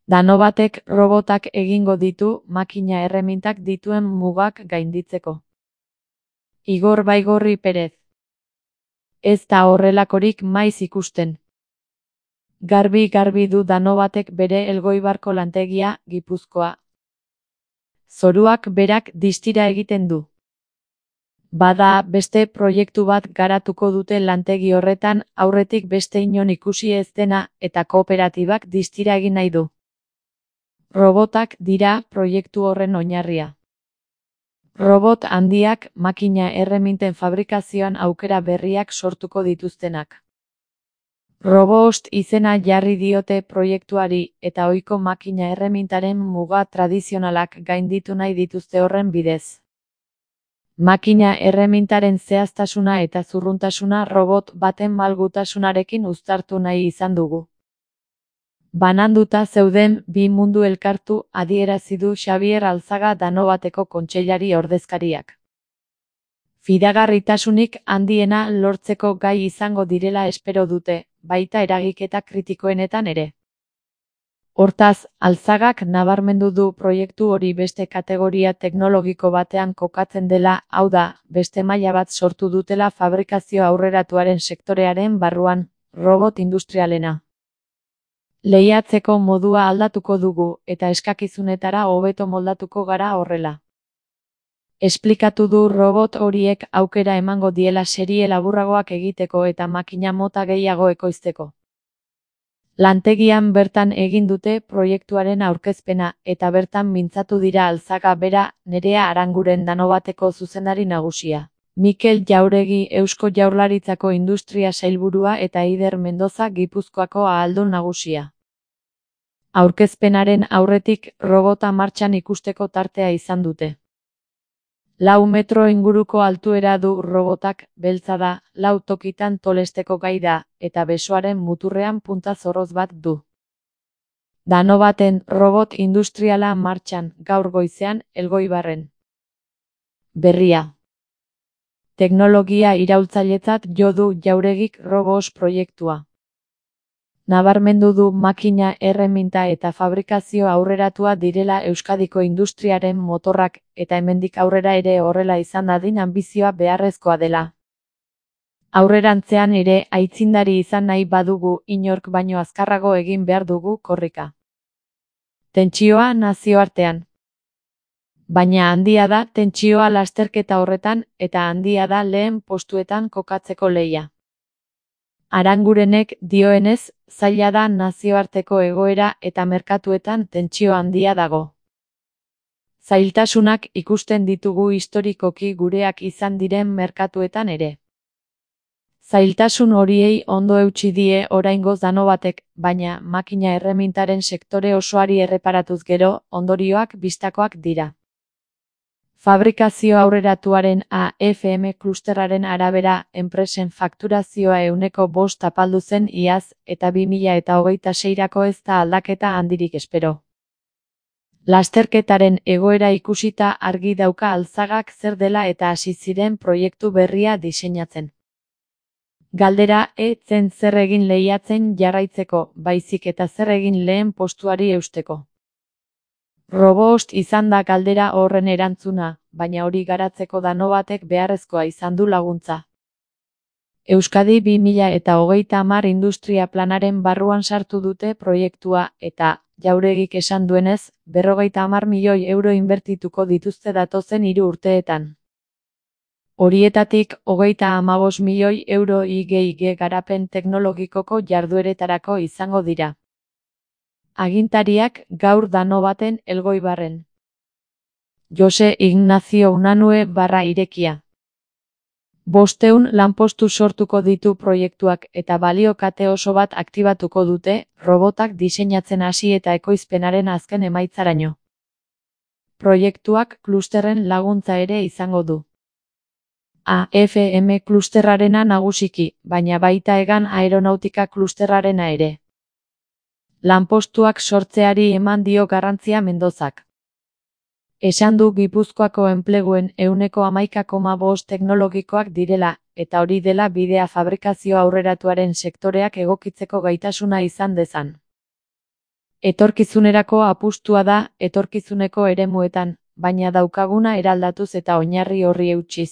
Danobatek robotak egingo ditu makina erremintak dituen mugak gainditzeko. Igor Baigorri Perez. Ez da horrelakorik maiz ikusten. Garbi du Danobatek bere Elgoibarko lantegia, Gipuzkoa. Zoruak berak distira egiten du. Bada, beste proiektu bat garatuko dute lantegi horretan aurretik beste inon ikusi ez dena eta kooperatibak distira egin nahi du. Robotak dira proiektu horren oinarria. Robot handiak makina erreminten fabrikazioan aukera berriak sortuko dituztenak. Robost izena jarri diote proiektuari eta ohiko makina erremintaren muga tradizionalak gainditu nahi dituzte horren bidez. Makina erremintaren zehaztasuna eta zurruntasuna robot baten malgutasunarekin uztartu nahi izan dugu. Bananduta zeuden bi mundu elkartu adierazi du Xabier Alzaga Danobateko kontseilari ordezkariak. Fidagarritasunik handiena lortzeko gai izango direla espero dute, baita eragiketa kritikoenetan ere. Hortaz, Alzagak nabarmendu du proiektu hori beste kategoria teknologiko batean kokatzen dela, hau da, beste maila bat sortu dutela fabrikazio aurreratuaren sektorearen barruan, robot industrialena. Lehiatzeko modua aldatuko dugu, eta eskakizunetara hobeto moldatuko gara horrela. Esplikatu du robot horiek aukera emango diela serie laburragoak egiteko eta makina mota gehiago ekoizteko. Lantegian bertan egin dute proiektuaren aurkezpena eta bertan mintzatu dira Alzaga bera, Nerea Aranguren Danobateko zuzendari nagusia. Mikel Jauregi Eusko Jaurlaritzako Industria Sailburua eta Eider Mendoza Gipuzkoako ahaldun nagusia. Aurkezpenaren aurretik robota martxan ikusteko tartea izan dute. 4 metro inguruko altuera du robotak, beltza da, 4 tokitan tolesteko gai da, eta besoaren muturrean punta zorroz bat du. Danobaten robot industriala martxan, gaur goizean, Elgoibarren. Berria. Teknologia iraultzailetzat jo du Jauregik Robos proiektua. Nabarmendu du makina erreminta eta fabrikazio aurreratua direla Euskadiko industriaren motorrak eta hemendik aurrera ere horrela izan dadin anbizioa beharrezkoa dela. Aurrerantzean ere aitzindari izan nahi badugu inork baino azkarrago egin behar dugu korrika. Tentsioa nazioartean. Baina handia da tentsioa lasterketa horretan eta handia da lehen postuetan kokatzeko lehia. Arangurenek dioenez, zaila da nazioarteko egoera eta merkatuetan tentsio handia dago. Zailtasunak ikusten ditugu historikoki gureak izan diren merkatuetan ere. Zailtasun horiei ondo eutsi die oraingoz Danobatek, baina makina erremintaren sektore osoari erreparatuz gero, ondorioak bistakoak dira. Fabrikazio aurreratuaren AFM klusterraren arabera, enpresen fakturazioa 5% apaldu zen iaz, eta 2026rako ez da aldaketa handirik espero. Lasterketaren egoera ikusita argi dauka Alzagak zer dela eta hasi ziren proiektu berria diseinatzen. Galdera zen zer egin lehiatzen jarraitzeko, baizik eta zer egin lehen postuari eusteko. Robost izan da galdera horren erantzuna, baina hori garatzeko Danobatek beharrezkoa izan du laguntza. Euskadi 2030 industria planaren barruan sartu dute proiektua eta, Jauregik esan duenez, 50 milioi euro inbertituko dituzte datozen 3 urteetan. Horietatik 35 milioi euro IG garapen teknologikoko jardueretarako izango dira. Agintariak gaur Danobaten Elgoibarren. Jose Ignacio Unanue /Irekia. 500 lanpostu sortuko ditu proiektuak eta balio kate oso bat aktibatuko dute, robotak diseinatzen hasi eta ekoizpenaren azken emaitzaraino. Proiektuak klusterren laguntza ere izango du. AFM klusterrarena nagusiki, baina baita Egan aeronautika klusterrarena ere. Lanpostuak sortzeari eman dio garrantzia Mendozak. Esan du Gipuzkoako enpleguen 11,5% teknologikoak direla, eta hori dela bidea fabrikazio aurreratuaren sektoreak egokitzeko gaitasuna izan dezan. Etorkizunerako apustua da etorkizuneko eremuetan, baina daukaguna eraldatuz eta oinarri horri eutsiz.